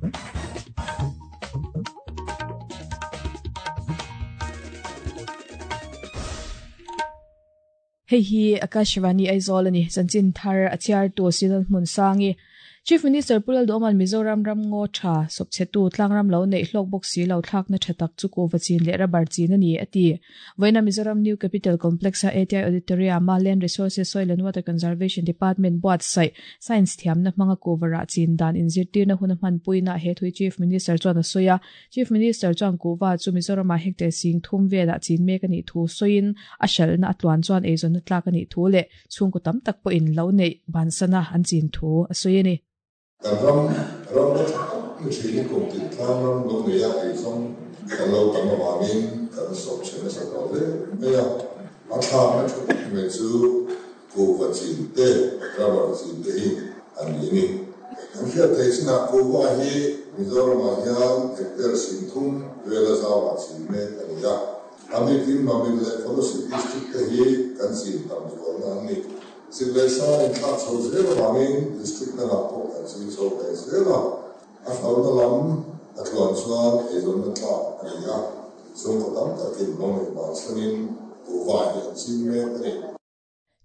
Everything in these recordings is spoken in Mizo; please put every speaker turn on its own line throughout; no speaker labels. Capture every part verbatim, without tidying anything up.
Hei hi Akashvani Aizawl ani chanchin thar a chhiar tu Silal hmun sangi Chief Minister Pulal Doman Mizoram ram ngo tha sopchetu tlangram lo nei hlok bok si lo thlak na thatak chu ko vachin le rubber chin ani ati voina Mizoram New Capital Complex a A T I Auditorium ma Land Resources Soil and Water Conservation Department board sai science thiam na manga kovara chin dan in zirtir na hun man puina he thui Chief Minister chuan a soya Chief Minister chuan kova chu Mizoram a hectare sing thum vela chin mek ani thu soin a shal na atluan chuan eizon na tlak ani thu le chung ko tam tak po in lo nei bansana an chin thu a soyeni
Ram ram ni kum tin tlang ram lo nei a ei zawng kan lo tam awangin kan sawp chen nasa tawh hle mai a a thlak na thu tak mai chu kuhva chin te rubber chin te hi an ni ni an hriat thei chinah kuhva hi Mizoramah hian hectare sing thum vela zawa chin mek a ni a a bikin Mamit leh Kolasib district te hi kan chin tam zualna an ni Silvesa in thlak chho zel awangin district dangah pawh kan chin chho ve zel a a hlauhna lam a tluan chuan eizawnna tlak a ni a chhungkaw tam takin lo nei bansanin kuhva hi an chin mek a ni.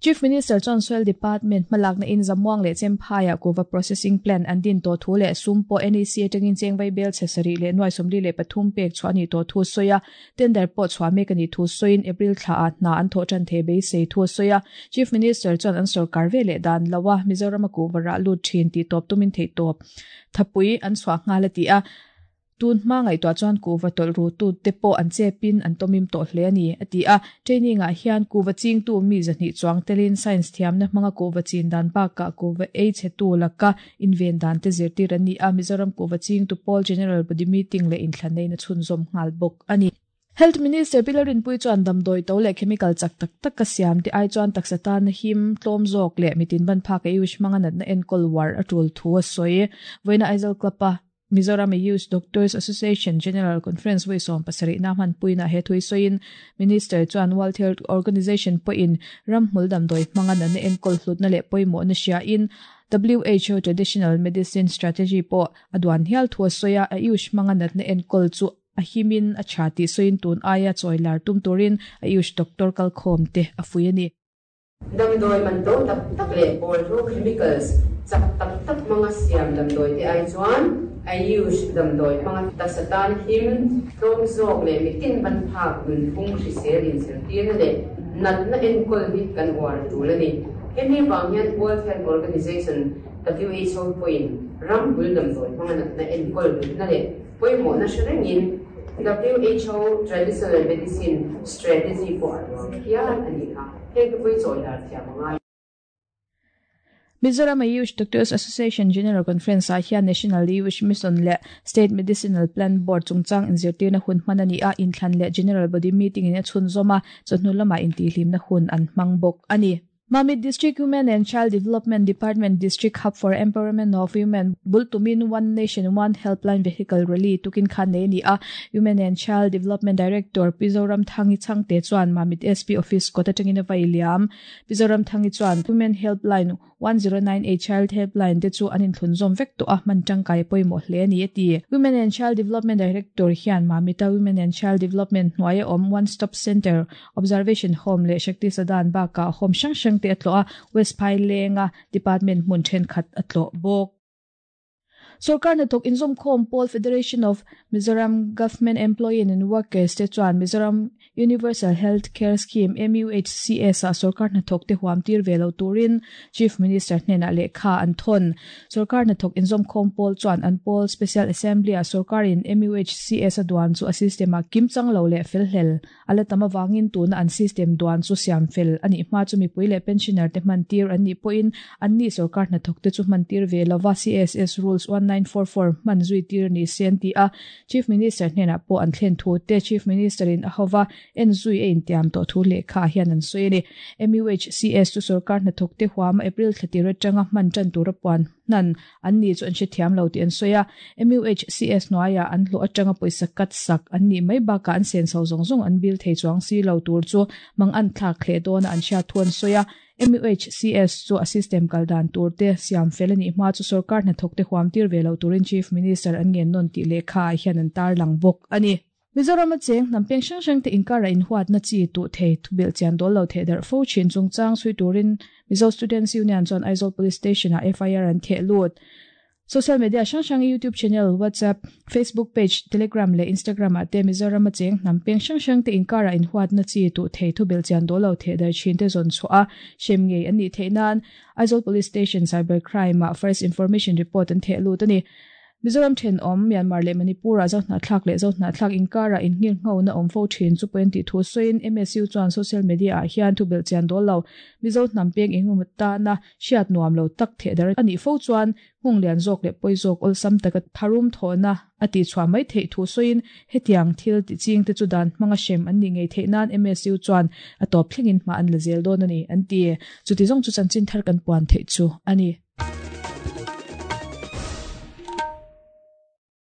Chief Minister John Soil Department malak na in zamuang le chemphaya kuva processing plant an din to thu le sumpo N E C atangin chengwai bel chesari le nuai somli le pathum pek chuani to thu soya tender po chwa mek ani thu soin April thla at na an tho chan the be sei thu soya Chief Minister John an sarkar ve le dan lawa Mizoram kuva ra lu thin ti top tumin thei top thapui an chwa nga la ti a tun ma ngai to chuan kuva tol ru tu te po an chepin an tomim to hle ani ati a training a hian kuva ching tu mi zani chuang telin science thiam na manga kuva chin dan ba ka kuva ei che tu laka inven dan te zirtir ani a Mizoram kuva ching tu Paul General Body meeting le in thlanei na chhun zom ngal bok ani Health Minister Pilarin Pui chuan damdoi to le chemical chak tak tak ka siam ti ai chuan taksatan him tlom zok le mitin ban phak ei wish manga nat na enkol war atul thu a soi voina Aizawl klapa Mizoram Youth Doctors Association General Conference we som pasari na man puina he thui soin Minister chuan World Health Organization po in ramhmul damdoi manga na ne enkol hlut na le poimo na sia in W H O Traditional Medicine Strategy po adwan hial thua soya a ayush manga nat na enkol chu a himin a chati soin tun aya choilar tum turin ayush doctor kal khom te afuini
damdoi man to tak tak le bol ro chemicals chak tak tak manga siam damdoi te ai chuan ayush damdoi manga taksatan him tlom zok le mitin ban phak nun phung hrisel in zirtir le nat na enkol hi kan war tul ani hemi wang hian World Health Organization W H O point ram bul damdoi manga nat na enkol na le poimo na hrengin W H O Traditional Medicine Strategy po arwang hian ani kha heng pui choilar thiam anga
Mizoram Ayush Doctors Association General Conference a hian National Ayush Mission le State Medicinal Plan Board chungchang inzirtir na hun hmanani a inthlan le General Body Meeting in a chhun zoma chawhnu lama intihlim na hun an hmang bawk ani Mamit District Women and Child Development Department District Hub for Empowerment of Women Bultumin One Nation One Helpline Vehicle Rally tukin khan nei ni a Women and Child Development Director Pizoram Thangi Changte chuan Mamit S P Office kota tangin vailiam Pizoram Thangi chuan Women Helpline one zero nine eight Child Helpline te chu anin thlun zom vek to a man tangkai poimo hle ni ati Women and Child Development Director hian Mamita Women and Child Development hnuai om One Stop Center Observation Home le Shakti Sadan ba ka home sang sang te atlo a West Phailenga Department mun then khat atlo bok Sarkar na tok inzom khom Paul Federation of Mizoram Government Employee and Workers te chuan Mizoram Universal Health Care Scheme M U H C S a sarkar na thok te huam tir velo turin Chief Minister hnena le kha an thon sarkar na thok inzom khom Paul chuan an Paul Special Assembly a sarkar in M U H C S a duan chu a system a kimchang lo le fel hel ala tama wangin tuna an system duan chu siam fel ani ma chu mi pui le pensioner te man tir an ni poin an ni sarkar na thok te chu man tir velova C S S rules one nine four four man zui tir ni sen ti a Chief Minister hnena po an thlen thu te Chief Minister in ahova en zui e in tiam to thu le kha hian an soi ni M U H C S chu sarkar na thok te huam April thirty tanga man tan tur puan nan an ni chu an she thiam lo ti an soya M U H C S noaya an hlo atanga poisa kat sak an ni mai ba ka an sen so zong zong an bil thei chuang si lo tur chu mang an thlak khle don an sha thuan soya M U H C S chu a system kaldan turte siam felani hma chu sarkar hna thokte huam tir velo turin Chief Minister an ngen non ti lekha hian an tar lang bok ani. Mizoram a cheng hnam peng hrang hrang te inkara in huat na chi tu thei thubil chian dol lo the dar fo chin chungchang sui turin Mizo Students Union chuan Aizawl Police Station a F I R an theh lut. Social media hrang hrang, YouTube channel, WhatsApp, Facebook page, Telegram le Instagram a te Mizoram a cheng hnam peng hrang hrang te inkara in huat na chi tu thei thubil chian dol lo the dar chin te zon chu a shem ngei ani theinan Aizawl Police Station Cyber Crime a first information report an theh lut ani. Mizoram then om Myanmar le Manipur a zo hna thlak le zo hna thlak inkara in ngir ngau na om fo thin chu point ti thu soin M S U chuan social media a hian thu bel chian dol lo Mizo hnam peng engum ta na hriat nuam lo tak the dar ani fo chuan hung lian zawk le poi zawk ol sam taka tharum thona ati chhuwa mai thei thu soin hetiang thil ti ching te chu dan hmanga shem an ni ngei thei nan M S U chuan a top thlengin ma an la zel don ani an ti. Chu ti zong chu chanchin thar kan puan thei chu ani.